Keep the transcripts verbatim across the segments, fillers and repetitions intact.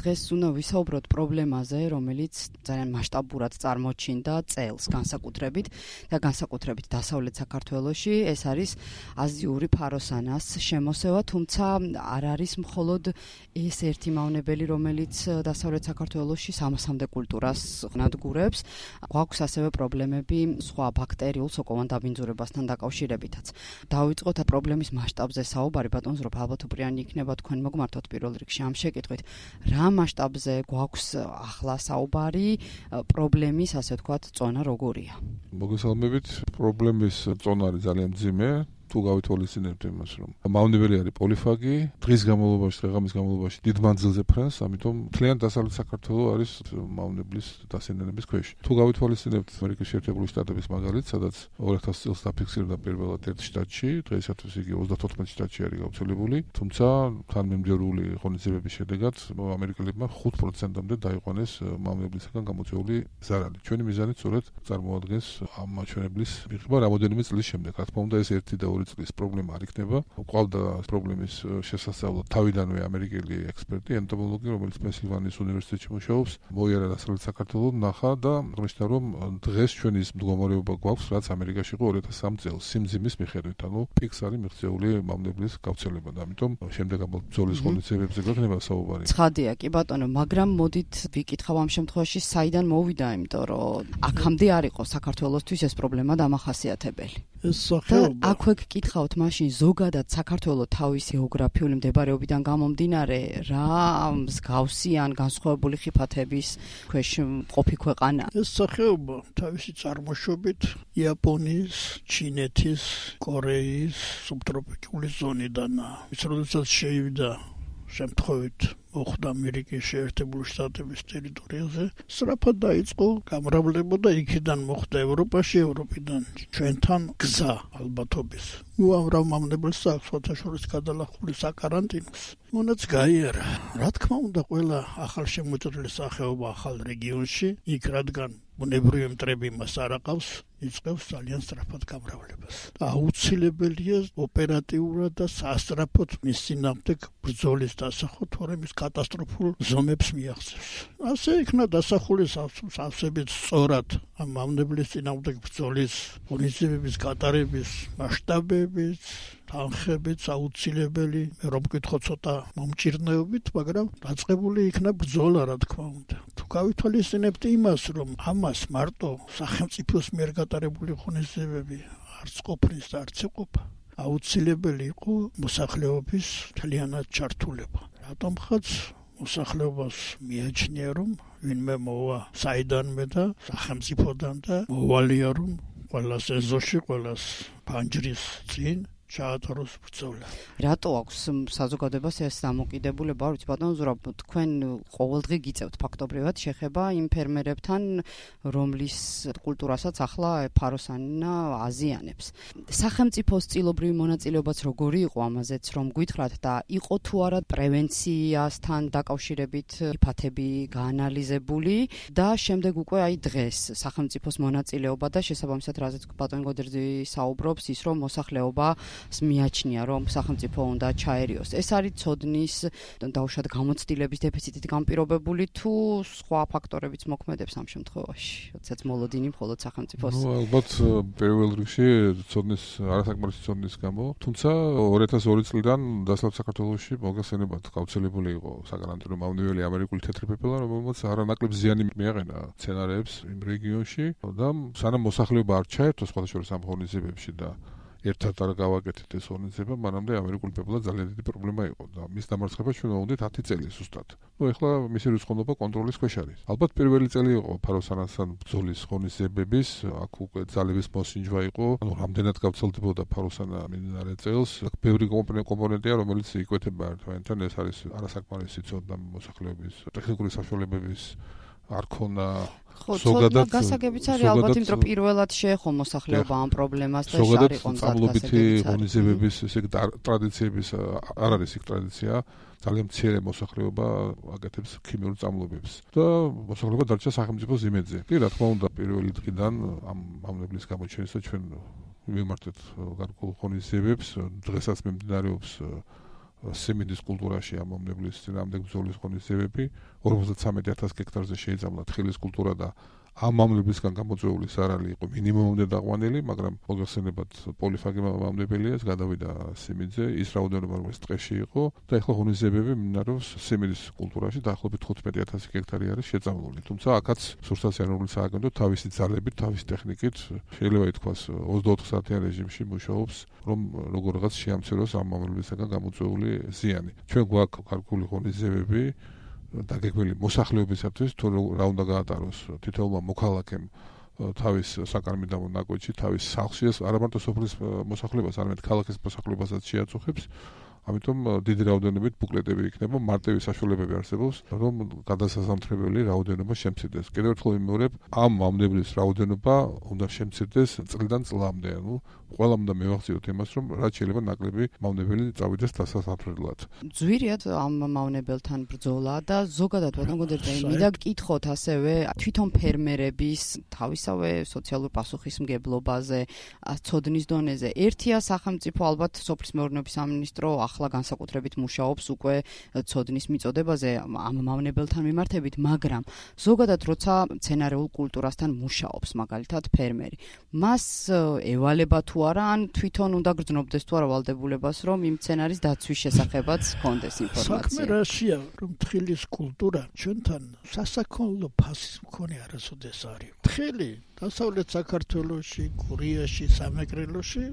დღეს უნდა ვისაუბროთ პრობლემაზე, რომელიც ძალიან მასშტაბურად წარმოჩინდა წელს განსაკუთრებით და განსაკუთრებით დასავლეთ საქართველოში. ეს არის აზიური ფაროსანას შემოსევა, თუმცა არ არის მხოლოდ ეს ერთი მავნებელი, რომელიც დასავლეთ საქართველოში სამასამდე კულტურას ნადგურებს. გვაქვს ასევე პრობლემები სხვა ბაქტერიულ სოკოვან დაბინძურებასთან დაკავშირებითაც. დავიწყოთ პრობლემის მასშტაბზე საუბარი, ბატონ ზურაბ, ალბათ უპირიანი იქნება თქვენ მოგმართოთ პირველ რიგში ამ შეკითხვით. რა მასშტაბზე გვაქვს ახლა საუბარი, პრობლემის, ასე ვთქვათ, წონა როგორია? მოგესალმებით, პრობლემის წონა არის ძალიან მძიმე. თუ გავითვალისწინებთ იმას, რომ მავნებელი არის პოლიფაგი, დღის განმავლობაში, დღეღამის განმავლობაში დიდ მანძილზე ფრენს, ამიტომ მთლიან დასავლეთ საქართველო არის მავნებლის დასინენების ქვეშ. თუ გავითვალისწინებთ ამერიკის შეერთებული შტატების მაგალითს, სადაც ორი ათას წელს დაფიქსირდა პირველად ერთ შტატში, დღეისათვის იგი ოცდათოთხმეტ შტატში არის გავრცელებული, თუმცა თანმიმდევრული ღონისძიებების შედეგად ამერიკელებმა ხუთ პროცენტამდე დაიყვანეს მავნებლისგან გამოწვეული ზარალი. ჩვენი მიზანი სწორედ წარმოადგენს ამ მაჩვენებლის მიღება რამოდენიმე წლის შემდეგ. რა თქმა უნდა, ეს ერთი და წლის პრობლემა არ იქნება. ყავდა პრობლემის შესასწავლად თავიდანვე ამერიკელი ექსპერტი, ენტომოლოგი, რომელიც პენსილვანიის უნივერსიტეტში მუშაობს, მოიარა დასავლეთ საქართველოს, ნახა და ღმერთა რომ დღეს ჩვენ ის მდგომარეობა გვაქვს, რაც ამერიკაში იყო ორი ათას სამი წელს სიმძიმის მიხედვით, ანუ პიკს არის მიღწეული მავნებლის გავრცელება და ამიტომ შემდეგ ამ ბრძოლის ღონისძიებებზე გვექნება საუბარი. ცხადია, კი ბატონო, მაგრამ მოდით ვიკითხავ ამ შემთხვევაში საიდან მოვიდა, იმიტომ რომ აქამდე არ იყო საქართველოსთვის ეს პრობლემა დამახასიათებელი. ეს სახეობა აქვე გკითხავთ მაშინ ზოგადად საქართველოს თავის გეოგრაფიული მდებარეობიდან გამომდინარე რა მსგავსი ან განსხვავებული ხიფათების ქვეშ მყოფი ქვეყანა? ეს სახეობა თავისი წარმოშობით იაპონიის, ჩინეთის, კორეის სუბტროპიკული ზონიდანაა. ის როდესაც შეივიდა შემთხვევით მოხდა ამერიკის შეერთებული შტატების ტერიტორიაზე, სწრაფად დაიწყო გამრავლება და იქიდან მოხდა ევროპაში, ევროპიდან ჩვენთან გზა ალბათობის. უამრავ მავნებელს აქვს საერთაშორისო გადალახული საკარანტინოს. მონაც გაიარა. რა თქმა უნდა, ყველა ახალშემოწყვეტილი სახეობა ახალ რეგიონში, იქ რადგან ბუნებრივი მტრები მას არ აყავს, იწყებს ძალიან სწრაფად გამრავლებას. და აუცილებელია ოპერატიულად და სასწრაფოდ მის წინააღმდეგ ბრძოლის დასახვა, თორემ ის კატასტროფულ ზომებს მიაღწევს. ასე იქნა დასახული სავსებით სწორად ამ მავნებლის წინააღმდეგ ბრძოლის ღონისძიებების გატარების მასშტაბებიც, თანხებიც აუცილებელი, რომ მკითხო ცოტა მომჭირნეობით, მაგრამ დაწყებული იქნა ბრძოლა, რა თქმა უნდა. თუ გავითვალისწინებთ იმას, რომ ამას მარტო სახელმწიფოს მიერ გატარებული ღონისძიებები არც ყოფნის და არც იყოფა, აუცილებელი იყო მოსახლეობის მთლიანად ჩართულება. რატომღაც მოსახლეობას მიაჩნია, რომ ვინმე მოვა საიდანმე და სახელმწიფოდან და მოვალია, რომ ყველას ეზოში, ყველას ფანჯრის წინ ჩაატაროს ბრძოლა. რატო აქვს საზოგადოებას ეს დამოკიდებულება? არ ვიცი, ბატონ ზურაბ, თქვენ ყოველდღე გიწევთ ფაქტობრივად შეხება იმ ფერმერებთან, რომლის კულტურასაც ახლა ფაროსანა აზიანებს. სახელმწიფოს წილობრივი მონაწილეობაც როგორი იყო ამაზეც, რომ გითხრათ და იყო თუ არა პრევენციასთან დაკავშირებით ფათები გაანალიზებული და შემდეგ უკვე აი დღეს სახელმწიფოს მონაწილეობა და შესაბამისად რაზეც ბატონ გოდერძი საუბრობს, ის რომ მოსახლეობა მიაჩნია, რომ სახელმწიფო უნდა ჩაერიოს. ეს არის ცოდნის დაუშვათ გამოცდილების დეფიციტით განპირობებული თუ სხვა ფაქტორებიც მოქმედებს ამ შემთხვევაში? როდესაც მოლოდინი მხოლოდ სახელმწიფოს. ნუ ალბათ პირველ რიგში ცოდნის არასაკმარისი ცოდნის გამო, თუმცა ორი ათას ორი წლიდან დასავლეთ საქართველოში მოგხსენებათ გავრცელებული იყო საკარანტინო მავნებელი ამერიკული თეთრი პეპელა, რომელმაც არანაკლებ ზიანი მიაყენა მცენარეებს იმ რეგიონში და სანამ მოსახლეობა არ ჩაერთო სხვადასხვა ამ ღონისძიებებში და ერთად არ გავაკეთეთ ეს ღონისძიება, მანამდე ამერიკული პეპელა ძალიან დიდი პრობლემა იყო და მის დამარცხებას ჩვენ ვუყდით ათი წელი ზუსტად. ნუ ეხლა მისი რიცხოვნობა კონტროლის ქვეშ არის. ალბათ პირველი წელი იყო ფაროსანასთან ბრძოლის ღონისძიებების, აქ უკვე ძალების მოსინჯვა იყო, ანუ რამდენად გავრცელდებოდა ფაროსანა მიმდინარე წელს. ბევრი კომპონენტია, რომელიც იკვეთება ერთმანეთთან, ეს არის არასაკმარისი ცოდნა მოსახლეობის ტექნიკური საშუალებების არ ქონა. ზოგადად გასაგებიც არის ალბათ, იმიტომ რომ პირველად შეეხო მოსახლეობა ამ პრობლემას და ზოგადად წამლობითი ღონისძიებების ესე ტრადიციების არ არის იქ ტრადიცია, ძალიან მცირე მოსახლეობა აკეთებს ქიმიურ წამლობებს და მოსახლეობა დარჩა სახელმწიფოს იმედზე. კი, რა თქმა უნდა, პირველი დღიდან ამ მავნებლის გამოჩენისა ჩვენ ვიმართეთ გარკვეულ ღონისძიებებს, დღესაც მიმდინარეობს სიმინდის კულტურაში ამ მომნებლის წინააღმდეგ ბრძოლის ღონისძიებები, ორმოცდამეტი ათასი ჰექტარზე შეიძაბლა თხილის კულტურა და ამ მომნებლისგან გამოწვეული სარალი იყო მინიმუმამდე დაყვანილი, მაგრამ მოგეხსენებათ პოლიფაგი მომნებელია, გადავიდა სიმინდზე, ის რაოდენობა რომელიც ტყეში იყო და ეხლა ღონისძიებები მიმდინარეობს სიმინდის კულტურაში, დაახლოებით თხუთმეტი ათასი ჰექტარი არის შეწამლული. თუმცა აქაც სურსათიანური სააგენტო თავისი ძალებით, თავისი ტექნიკით შეიძლება ითქვას ოცდაოთხ საათიან რეჟიმში მუშაობს, რომ როგორღაც შეამციროს ამ მომნებლისგან გამოწვეული ზიანი. ჩვენ გვაქვს კარგული ღონისძიებები დაგეგმილი მოსახლეობისათვის თუ რა უნდა გაატაროს თითოეულმა მოქალაქემ თავის საკარმიდამო ნაკვეთში, თავის სახლში, ეს არა მარტო სოფლის მოსახლეობას, არამედ ქალაქის მოსახლეობასაც შეაწუხებს. ამიტომ დიდი რაოდენობით ბუკლეტები იქნება, მარტივი საშუალებები არსებობს, რომ გადასასამთრებელი რაოდენობა შემცირდეს. კიდევ ერთხელ ვიმეორებ, ამ მომნებლის რაოდენობა უნდა შემცირდეს წლიდან წლამდე, ანუ ყველამ უნდა მივახციოთ იმას, რომ რაც შეიძლება ნაკლები მომნებელი წავიდეს დასასამთრებლად. ძვირიად ამ მომნებელთან ბრძოლა და ზოგადად ბატონ გონდერტელი მინდა გკითხოთ ასევე თვითონ ფერმერების თავისავე სოციალურ პასუხისმგებლობაზე, ცოდნის დონეზე. ერთია სახელმწიფო ალბათ სოფლის მეურნეობის სამინისტრო ახლა განსაკუთრებით მუშაობს უკვე ცოდნის მიწოდებაზე ამ მომნებელთან მიმართებით, მაგრამ ზოგადად როცა მცენარეულ კულტურასთან მუშაობს მაგალითად ფერმერი, მას ევალება თუ არა, ან თვითონ უნდა გრძნობდეს თუ არა ვალდებულებას, რომ იმ მცენარის დაცვის შესახებაც ჰქონდეს ინფორმაცია. საქმე რაშია, რომ თხილის კულტურა ჩვენთან სასაქონლო ფასის მქონე არასოდეს არის. თხილი დასავლეთ საქართველოში, გურიაში, სამეგრელოში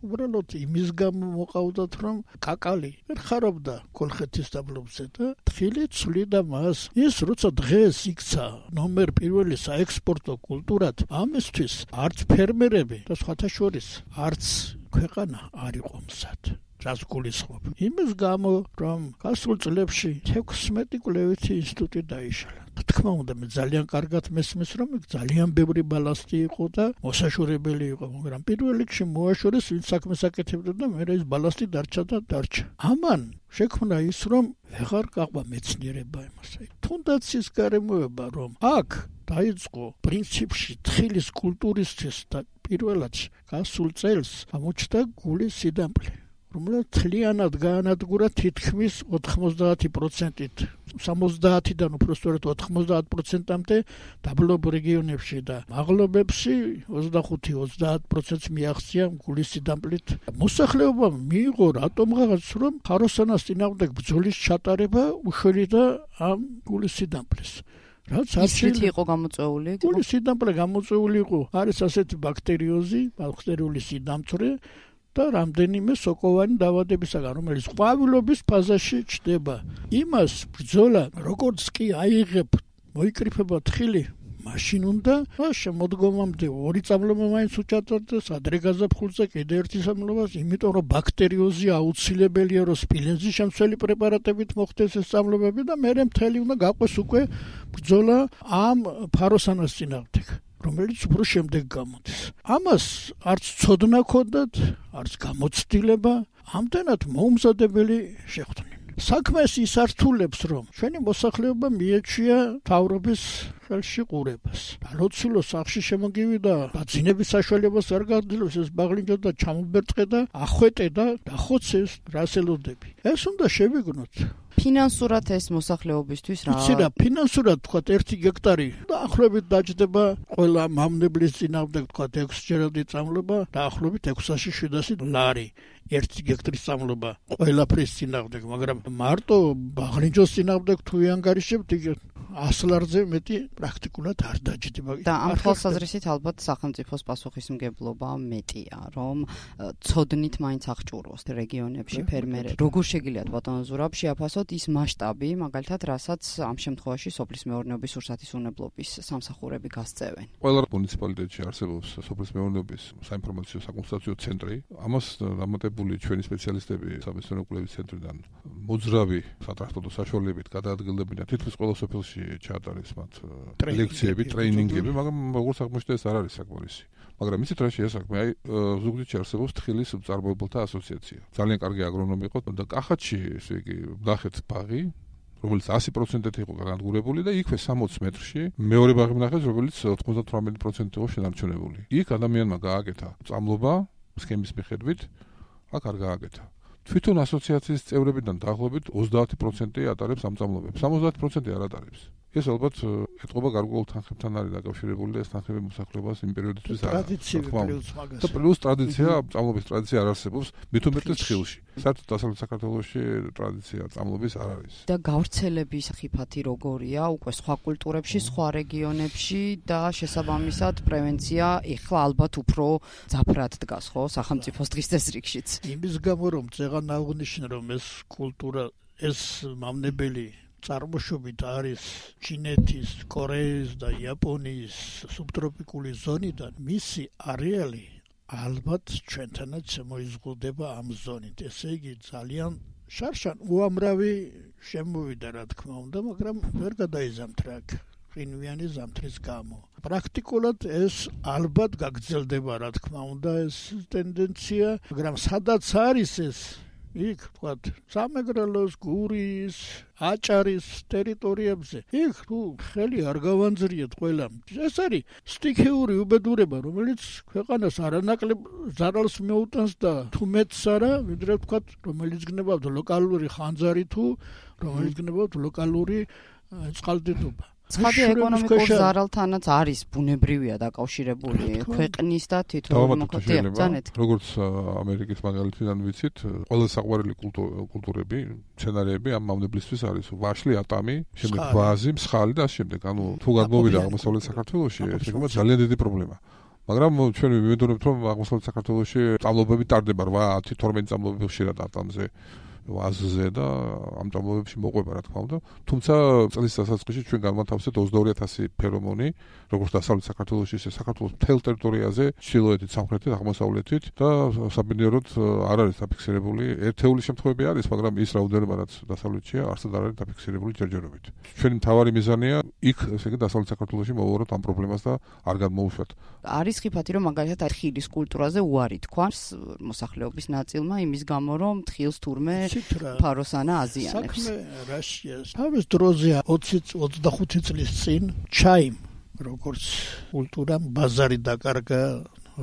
უბრალოდ იმის გამო მოყავდათ, რომ კაკალი ვერ ხარობდა კოლხეთის დაბლობზე და თხილი ცვლიდა მას. ის როცა დღეს იქცა ნომერ პირველი საექსპორტო კულტურად, ამისთვის არც ფერმერები და სხვათა შორის არც ქვეყანა არ იყო მზად. რას გულისხმობ? იმის გამო, რომ გასულ წლებში თექვსმეტი კვლევითი ინსტიტუტი დაიშალა. თქმა უნდა, მე ძალიან კარგად მესმის, რომ ძალიან ბევრი ბალასტი იყო და მოსაშორებელი იყო, მაგრამ პირველ რიგში მოაშორეს ვინც საქმეს აკეთებდა და მე ის ბალასტი დარჩა და დარჩა. ამან შექმნა ის, რომ ვეღარ გაყვა მეცნიერება იმას. თუნდაც ის გარემოება, რომ აქ დაიწყო პრინციპში თხილის კულტურისთვის და პირველად გასულ წელს გამოჩნდა გულის სიდამპლე, რომელიც თლიანად გაანადგურა თითქმის ოთხმოცდაათი პროცენტით, სამოცდაათიდან უпростоრად ოთხმოცდაათ პროცენტამდე დაბლობ რეგიონებში და მაღლობებში ოცდახუთი ოცდაათ პროცენტს მიაღწია გულის სიდამპლით. მოსახლეობამ მიიღო რატომღაც, რომ ხაროსანას წინააღმდეგ ბრძოლის ჩატარება უშველიდა ამ გულის სიდამპლეს. რაც არჩილი იყო გამოწვეული? გულის სიდამპლე გამოწვეული იყო, არის ასეთი ბაქტერიოზი, ბაქტერიული სიდამწვრე და რამდენიმე სოკოვანი დაავადებისაგან, რომელიც ყვავილობის ფაზაში ჩნდება. იმას ბრძოლა როგორც კი აიღებ, მოიკრიფება თხილი, მაშინ უნდა შემოდგომამდე ორი წამლობა მაინც უჩატარდეს, ადრე გაზაფხულზე კიდე ერთი წამლობას, იმიტომ რომ ბაქტერიოზი აუცილებელია, რომ სპილენძის შემცველი პრეპარატებით მოხდეს ეს წამლობები და მერე მთელი უნდა გაყვეს უკვე ბრძოლა ამ ფაროსანას წინააღმდეგ, რომელიც უფრო შემდეგ გამოდის. ამას არც ცოდნა ჰქონდათ, არც გამოცდილება, ამდენად მოუმზადებელი შეხვდნენ. საქმეს ის ართულებს, რომ ჩვენი მოსახლეობა მიეჩვია მთავრობის ხელში ყურებას. ლოცულო სახში შემოგივიდა, დაძინების საშუალებას არ გაძლევს, ეს ბაღლინჯა და ჩამობერწყე და ახვეტე და დახოცეს რასელოდები. ეს უნდა შევიგნოთ. ფინანსურად ეს მოსახლეობისთვის რა? იცი რა, ფინანსურად თქვათ ერთი ჰექტარი დაახლოებით დაჯდება ყველა მომნებლის წინააღმდეგ თქვათ ექვსჯერადი წამლობა, დაახლოებით ექვსასი შვიდასი ლარი ერთი ჰექტრის წამლობა ყველაფრის წინააღმდეგ, მაგრამ მარტო ბაღლინჯოს წინააღმდეგ თუ იანგარიშებთ, იქ ას ლარზე მეტი პრაქტიკულად არ დაჯდება. და ამ თვალსაზრისით ალბათ სახელმწიფოს პასუხისმგებლობა მეტია, რომ ცოდნით მაინც აღჭურვოს რეგიონებში ფერმერები. როგორ შეგიძლიათ ბატონო ზურაბ შეაფასოთ ის მასშტაბი, მაგალითად, რასაც ამ შემთხვევაში სოფლის მეურნეობის სურსათისუნებლობის სამსახურები გასწევენ? ყველა მუნიციპალიტეტში არსებობს სოფლის მეურნეობის საინფორმაციო საკონსულტაციო ცენტრი. ამას დამატებული ჩვენი სპეციალისტები სამეცნიერო კვლევის ცენტრიდან მოძრავი სატრანსპორტო საშუალებებით გადაადგილდებიან თითქმის ყველა სოფელში ჩაატარეს მათ ლექციები, ტრეინინგები, მაგრამ როგორც აღმოჩნდა ეს არ არის საკმარისი. მაგრამ იცით რა შეა საქმე? აი ზუგდიდში არსებობს თხილის მწარმოებელთა ასოციაცია. ძალიან კარგი აგრონომი იყო და კახეთში, ესე იგი, ნახეთ ბაღი, რომელიც ასი პროცენტით იყო განადგურებული და იქვე სამოცი მეტრში მეორე ბაღი ნახეთ, რომელიც ოცდათვრამეტი პროცენტით იყო შენარჩუნებული. იქ ადამიანმა გააკეთა წამლობა სქემის მიხედვით, აქ არ გააკეთა. თვითონ ასოციაციის წევრებიდან დაახლოებით ოცდაათი პროცენტი ატარებს ამ წამლობებს. სამოცდაათი პროცენტი არ ატარებს. ეს ალბათ ეთყობა გარკვეულ თანხებთან არის დაკავშირებული და ეს თანხები მოსახლეობას იმ პერიოდისთვის არ ტრადიციული პლუს მაგას. და პლუს ტრადიცია, წამლობის ტრადიცია არ არსებობს, მით უმეტეს ხილში. საერთოდ დასავლეთ საქართველოში ტრადიცია წამლობის არ არის. და გავრცელების ხიფათი როგორია უკვე სხვა კულტურებში, სხვა რეგიონებში და შესაბამისად პრევენცია ეხლა ალბათ უფრო ძაფრად დგას, ხო, სახელმწიფოს დღის წესრიგშიც. იმის გამო რომ წეღან აღნიშნე რომ ეს კულტურა ეს მავნებელი წარმოშობით არის ჩინეთის, კორეის და იაპონიის სუბტროპიკული ზონიდან, მისი არეალი ალბათ ჩვენთანაც მოიზღუდება ამ ზონით. ესე იგი ძალიან შარშან უამრავი შემოვიდა რა თქმა უნდა, მაგრამ ვერ გადაიზამთრა აქ ყინვიანი ზამთრის გამო. პრაქტიკულად ეს ალბათ გაგრძელდება რა თქმა უნდა ეს ტენდენცია, მაგრამ სადაც არის ეს იქ ვთქვათ სამეგრელოს, გურიის, აჭარის ტერიტორიებზე იქ თუ ხელი არ გავანძრიეთ ყველამ. ეს არის სტიქიური უბედურება, რომელიც ქვეყანას არანაკლებ ზარალს მეუტანს და თუ მეტს არა, ვიდრე ვთქვათ, რომელიც გნებავთ ლოკალური ხანძარი თუ რომელიც გნებავთ ლოკალური წყალდიდობა. ცხადი ეკონომიკურ ზარალთანაც არის ბუნებრივია დაკავშირებული ქვეყნის და თითოეულ მოქალაქეებთან. როგორც ამერიკის მაგალითიდან ვიცით, ყველა საყვარელი კულტურები, სცენარები ამ მავნებლისთვის არის ვაშლი, ატამი, შემდეგ ვაზი, მსხალი და ამ შემდეგ. ანუ თუ გადმოვიდა აღმოსავლეთ საქართველოში, ეს იქნება ძალიან დიდი პრობლემა. მაგრამ ჩვენ ვიმედოვნებთ, რომ აღმოსავლეთ საქართველოში წამლობები ტარდება რვა, ათი, თორმეტი წამლობები ხშირად ატამზე. ვაზზე და ამ წამლობებში მოყვება რა თქმა უნდა. თუმცა წლის დასაწყისში ჩვენ განმათავსეთ ოცდაორი ათასი ფერომონი, როგორც დასავლეთ საქართველოში, ისე საქართველოს მთელ ტერიტორიაზე, ჩრდილოეთით, სამხრეთით, აღმოსავლეთით და საბინადროდ არ არის დაფიქსირებული. ერთეული შემთხვევები არის, მაგრამ ის რაოდენობა რაც დასავლეთშია, არსად არ არის დაფიქსირებული ჯერჯერობით. ჩვენი მთავარი მიზანია იქ, ესე იგი, დასავლეთ საქართველოში მოვუაროთ ამ პრობლემას და არ გადმოუშვათ. არის ხიფათი, რომ მაგალითად ხილის კულტურაზე უარი თქვას მოსახლეობის ნაწილმა იმის გამო, რომ თხილს თურმე ფაროსანა აზიანებს. საქმე რაშია? თავის დროზე ოცი ოცდახუთი წლის წინ ჩაიმ როგორც კულტურამ ბაზარი დაკარგა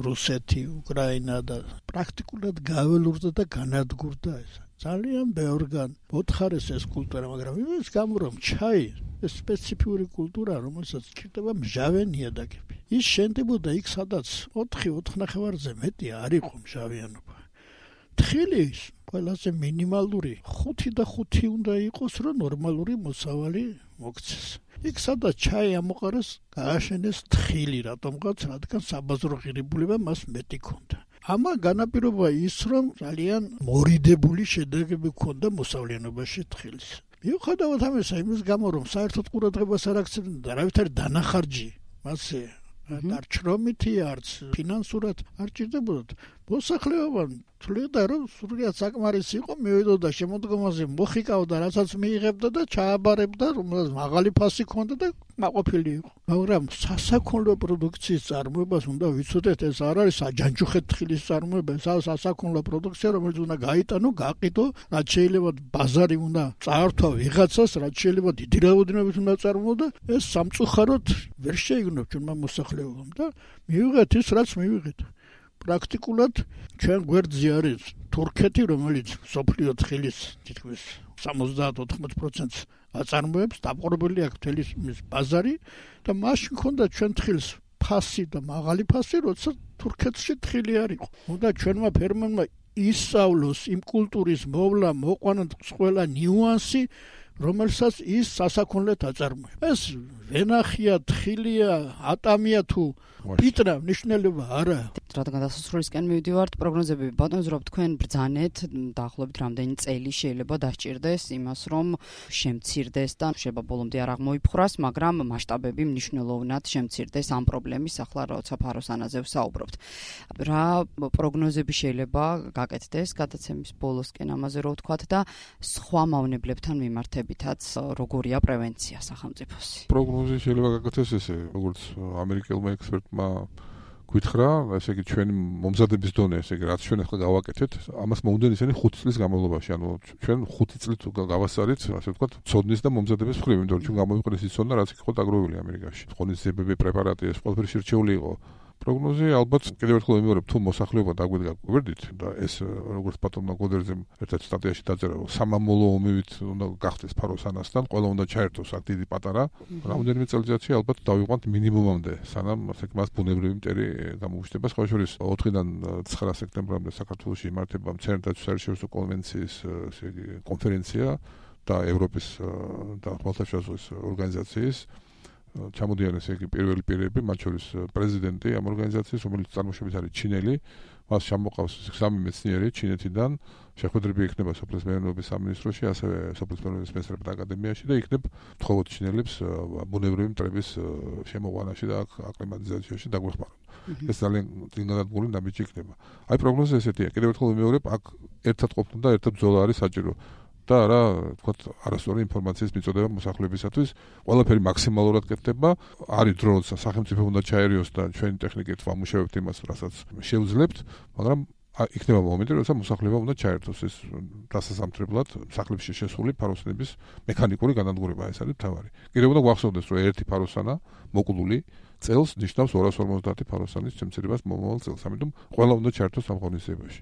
რუსეთი, უკრაინა და პრაქტიკულად გაველურდა და განადგურდა ეს. ძალიან ბევრგან მოთხარეს ეს კულტურა, მაგრამ იმის გამო რომ ჩაი ეს სპეციფიური კულტურა, რომელსაც ჭირდება მჟავე ნიადაგები. ის შენდებოდა იქ, სადაც ოთხი ოთხნახევარზე მეტი არ იყო მჟავიანობა. თხილის ყველაზე მინიმალური ხუთი და ხუთი უნდა იყოს, რომ ნორმალური მოსავალი მოქცეს. იქ სადაც ჩაი ამოყარეს, გააშენეს თხილი რატომღაც, რადგან საბაზრო ღირებულება მას მეტი ქონდა. ამა განაპირობა ის, რომ ძალიან მორიდებული შედეგები ქონდა მოსავლიანობაში თხილის. მიუხედავად ამისა, იმის გამო, რომ საერთოდ ყურადღებას არ აქცევდნენ და არავითარი დანახარჯი მასზე არ ჩრომითი არც ფინანსურად არ ჭირდებოდათ. მოსახლეობამ თვლიდა, რომ სრულიად საკმარისი იყო, მივიდოდა შემოდგომაზე, მოხიკავდა, რასაც მიიღებდა და ჩააბარებდა, რომელსაც მაღალი ფასი ჰქონდა და მაყოფილი იყო. მაგრამ სასაქონლო პროდუქციის წარმოებას უნდა ვიცოდეთ, ეს არ არის აჯანჯუხეთ თხილის წარმოება, ეს არის სასაქონლო პროდუქცია, რომელიც უნდა გაიტანო, გაყიდო, რაც შეიძლება ბაზარი უნდა წაართვა ვიღაცას, რაც შეიძლება დიდი რაოდენობით უნდა წარმოო და ეს სამწუხაროდ ვერ შეიგნო ჩვენმა მოსახლეობამ და მივიღეთ ის, რაც მივიღეთ. პრაქტიკულად ჩვენ გვერდზე არის თურქეთი, რომელიც სოფლიო თხილის თითქმის სამოცდაათ ოთხმოცდაათ პროცენტს აწარმოებს, დაპყრობილი აქვს მთელი მის ბაზარი და მაშინ ქონდა ჩვენ თხილს ფასი და მაღალი ფასი, როცა თურქეთში თხილი არ იყო. უნდა ჩვენმა ფერმერმა ისწავლოს იმ კულტურის მოვლა, მოყვანა ყველა ნიუანსი, რომელსაც ის სასაქონლად აწარმოებს. ეს ვენახია, თხილია, ატამია თუ პიტრა ნიშნულობა არა. რადგან დასასრულისკენ მივდივართ, პროგნოზები ბატონზრობ თქვენ ბრძანეთ, დაახლოებით რამდენი წელი შეიძლება დასჭირდეს იმას, რომ შემცირდეს და შეიძლება ბოლომდე არ აღმოიფხვრას, მაგრამ მასშტაბები მნიშვნელოვნად შემცირდეს ამ პრობლემის, ახლა როცა ფაროსანაზე ვსაუბრობთ. რა პროგნოზები შეიძლება გაკეთდეს გადაცემის ბოლოსკენ ამაზე რო ვთქვათ და სხვა მავნებლებთან მიმართებითაც როგორია პრევენცია სახელმწიფოსი? პროგნოზი შეიძლება გაკეთდეს ესე, როგორც ამერიკელმა ექსპერტმა გითხრა, ესე იგი ჩვენი მომზადების დონე, ესე იგი რაც ჩვენ ახლა გავაკეთეთ, ამას მოუნდენ ისინი ხუთი წლის განმავლობაში, ანუ ჩვენ ხუთი წლით გავასწარით, ასე ვთქვათ, ცოდნის და მომზადების მხრივ, იმიტომ რომ ჩვენ გამოვიყენეს ის ცოდნა, რაც იყო დაგროვილი ამერიკაში. ღონისძიებები, პრეპარატი, ეს ყველაფერი შერჩეული იყო. პროგნოზი ალბათ კიდევ ერთხელ ვიმეორებ, თუ მოსახლეობა დაგვიდგა გვერდით და ეს როგორც ბატონმა გოდერძემ ერთ-ერთ სტატიაში დაწერა, რომ სამამულო ომივით უნდა გახდეს ფაროსანასთან, ყველა უნდა ჩაერთოს აქ დიდი პატარა, რამდენიმე წელიწადში ალბათ დავიყვანთ მინიმუმამდე, სანამ ასეთ მას ბუნებრივი მტერი გამოუჩნდება. სხვა შორის ოთხიდან ცხრა სექტემბრამდე საქართველოში იმართება მცენარეთა საერთაშორისო კონვენციის კონფერენცია და ევროპის და ხმელთაშუა ზღვის ორგანიზაციის ჩამოდიან ესე იგი პირველი პირები, მათ შორის პრეზიდენტი ამ ორგანიზაციის, რომელიც წარმოშობით არის ჩინელი, მას ჩამოყავს სამი მეცნიერი ჩინეთიდან, შეხვედრები იქნება სოფლის მეურნეობის სამინისტროში, ასევე სოფლის მეურნეობის მეცნიერებათა აკადემიაში და იქნებ მხოლოდ ჩინელებს ბუნებრივი მტრების შემოყვანაში და აკლიმატიზაციაში დაგვეხმაროთ. ეს ძალიან ძინადადგმული ნაბიჯი იქნება. აი პროგნოზი ესეთია. კიდევ ერთხელ ვიმეორებ, აქ ერთად ყოფნა და ერთად ბრძოლა არის საჭირო. და რა, თქვათ, არასწორი ინფორმაციის მიწოდება მოსახლეობისათვის, ყველაფერი მაქსიმალურად კეთდება, არის დრო, როცა სახელმწიფო უნდა ჩაერიოს და ჩვენი ტექნიკით ვამუშავებთ იმას, რასაც შევძლებთ, მაგრამ იქნება მომენტი, როცა მოსახლეობა უნდა ჩაერთოს ეს დასასამთრებლად სახლებში შესული ფაროსნების მექანიკური განადგურება, ეს არის მთავარი. კიდევ უნდა გვახსოვდეს, რომ ერთი ფაროსანა მოკლული წელს ნიშნავს ორას ორმოცდაათი ფაროსანის შემცირებას მომავალ წელს, ამიტომ ყველა უნდა ჩაერთოს ამ ღონისძიებაში.